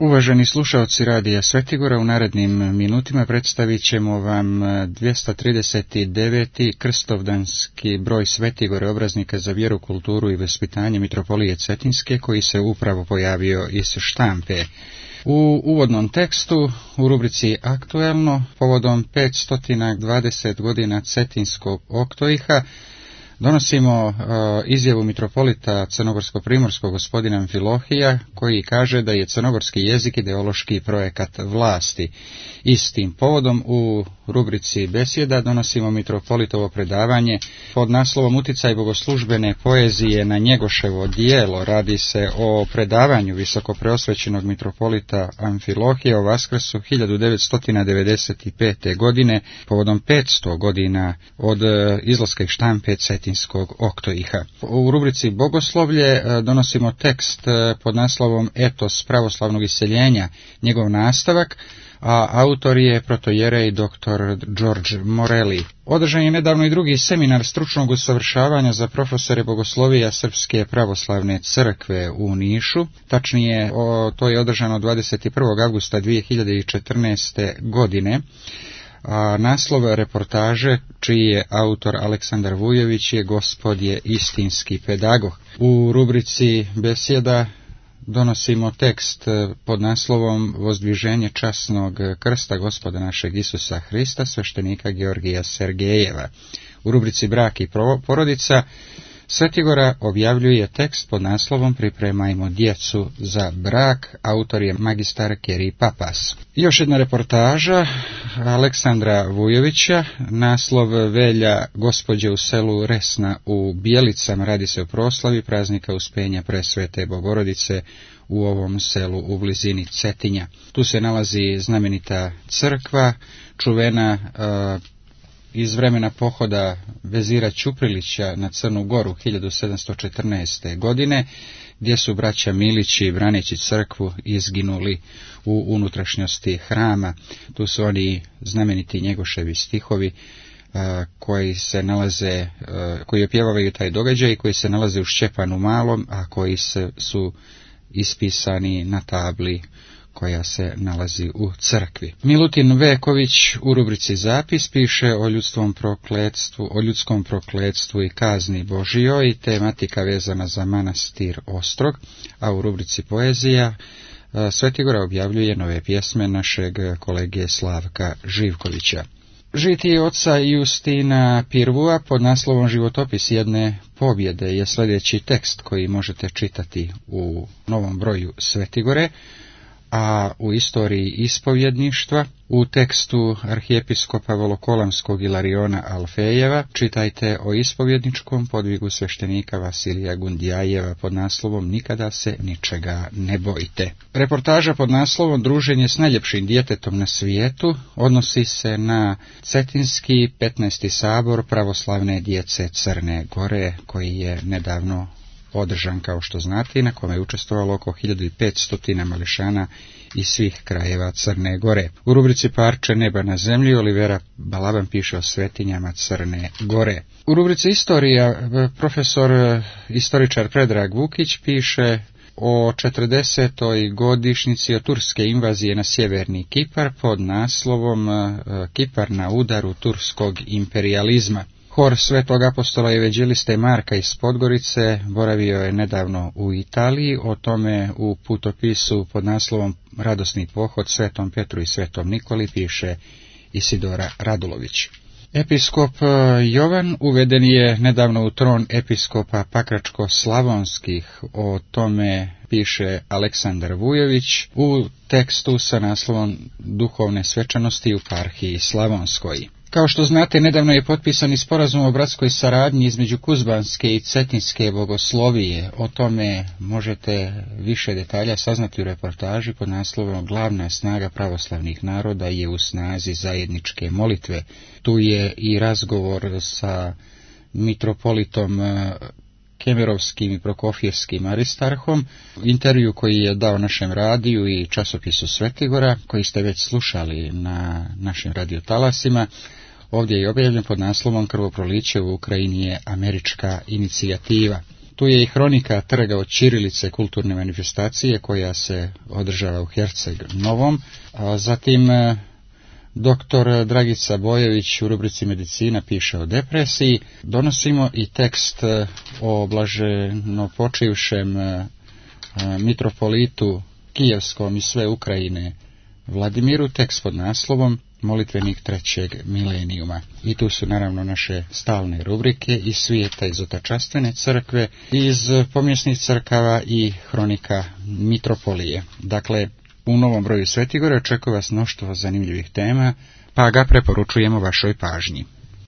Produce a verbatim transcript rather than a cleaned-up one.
Uvaženi slušaoci Radija Svetigora, u narednim minutima predstavit ćemo vam dvjesto trideset deveti krstovdanski broj Svetigore, obraznika za vjeru, kulturu i vaspitanje mitropolije Cetinske, koji se upravo pojavio iz štampe. U uvodnom tekstu, u rubrici Aktuelno, povodom petsto dvadeset godina Cetinskog oktoiha, donosimo uh, izjavu mitropolita crnogorsko-primorskog gospodina Amfilohija, koji kaže da je crnogorski jezik ideološki projekat vlasti. Istim povodom u rubrici Besjeda donosimo mitropolitovo predavanje pod naslovom Uticaj bogoslužbene poezije na Njegoševo djelo. Radi se o predavanju visokopreosvećenog mitropolita Amfilohija o Vaskrsu hiljadu devetsto devedeset pete. godine povodom petsto godina od izlaska iz štampe Cetinskog oktoiha. U rubrici Bogoslovlje donosimo tekst pod naslovom Etos pravoslavnog iseljenja, njegov nastavak, a autor je protojerej doktor George Morelli. Održan je nedavno i drugi seminar stručnog usavršavanja za profesore bogoslovija Srpske pravoslavne crkve u Nišu. Tačnije, o, to je održano dvadeset prvog avgusta dvije hiljade četrnaeste. godine. A naslov reportaže, čiji je autor Aleksandar Vujović, je Gospod je istinski pedagog. U rubrici Besjeda donosimo tekst pod naslovom Vozdviženje časnog krsta Gospoda našeg Isusa Hrista, sveštenika Georgija Sergejeva. U rubrici Brak i porodica Svetigora objavljuje tekst pod naslovom Pripremajmo djecu za brak, autor je magistar Keri Papas. Još jedna reportaža Aleksandra Vujovića, naslov Velja Gospođe u selu Resna u Bjelicama, radi se o proslavi praznika Uspenja Presvete Bogorodice u ovom selu u blizini Cetinja. Tu se nalazi znamenita crkva, čuvena uh, iz vremena pohoda vezira Ćuprilića na Crnu Goru hiljadu sedamsto četrnaeste. godine, gdje su braća Milići, braneći crkvu, izginuli u unutrašnjosti hrama. Tu su oni znameniti Njegoševi stihovi koji se nalaze, koji opjevavaju taj događaj i koji se nalaze u Šćepanu Malom, a koji se, su ispisani na tabli koja se nalazi u crkvi. Milutin Veković u rubrici Zapis piše o ljudskom prokletstvu, o ljudskom prokletstvu i kazni Božijoj, i tematika vezana za manastir Ostrog, a u rubrici Poezija Svetigora objavljuje nove pjesme našeg kolege Slavka Živkovića. Žitije oca Justina Pirvua pod naslovom Životopis jedne pobjede je sljedeći tekst koji možete čitati u novom broju Svetigore, a u istoriji ispovjedništva, u tekstu arhijepiskopa Volokolamskog Ilariona Alfejeva, čitajte o ispovjedničkom podvigu sveštenika Vasilija Gundijajeva pod naslovom Nikada se ničega ne bojite. Reportaža pod naslovom Druženje s najljepšim djetetom na svijetu odnosi se na Cetinski petnaesti sabor pravoslavne djece Crne Gore, koji je nedavno održan, kao što znate, na kome je učestvovalo oko hiljadu petsto mališana iz svih krajeva Crne Gore. U rubrici Parče neba na zemlji Olivera Balaban piše o svetinjama Crne Gore. U rubrici Istorija profesor istoričar Predrag Vukić piše o četrdesetoj godišnjici od turske invazije na sjeverni Kipar pod naslovom Kipar na udaru turskog imperijalizma. Hor Svetog apostola i evanđeliste Marka iz Podgorice boravio je nedavno u Italiji, o tome u putopisu pod naslovom Radosni pohod Svetom Petru i Svetom Nikoli piše Isidora Radulović. Episkop Jovan uveden je nedavno u tron episkopa Pakračko-Slavonskih, o tome piše Aleksandar Vujović u tekstu sa naslovom Duhovne svečanosti u Parhiji Slavonskoj. Kao što znate, nedavno je potpisan i sporazum o bratskoj saradnji između Kuzbanske i Cetinske bogoslovije. O tome možete više detalja saznati u reportaži pod naslovom Glavna snaga pravoslavnih naroda je u snazi zajedničke molitve. Tu je i razgovor sa mitropolitom Kemerovskim i Prokofjevskim Aristarhom, intervju koji je dao našem radiju i časopisu Svetigora, koji ste već slušali na našim radiotalasima. Ovdje je objavljen pod naslovom Krvoproliće u Ukrajini je američka inicijativa. Tu je i hronika trga od ćirilice kulturne manifestacije koja se održava u Herceg Novom. A zatim doktor Dragica Bojević u rubrici Medicina piše o depresiji. Donosimo i tekst o blaženopočivšem mitropolitu Kijevskom i sve Ukrajine Vladimiru, tekst pod naslovom Molitvenik trećeg milenijuma. I tu su naravno naše stalne rubrike iz svijeta iz otačastvene crkve, iz pomjesnih crkava i hronika mitropolije. Dakle, u novom broju Svetigore očekuje vas mnoštvo zanimljivih tema, pa ga preporučujemo vašoj pažnji.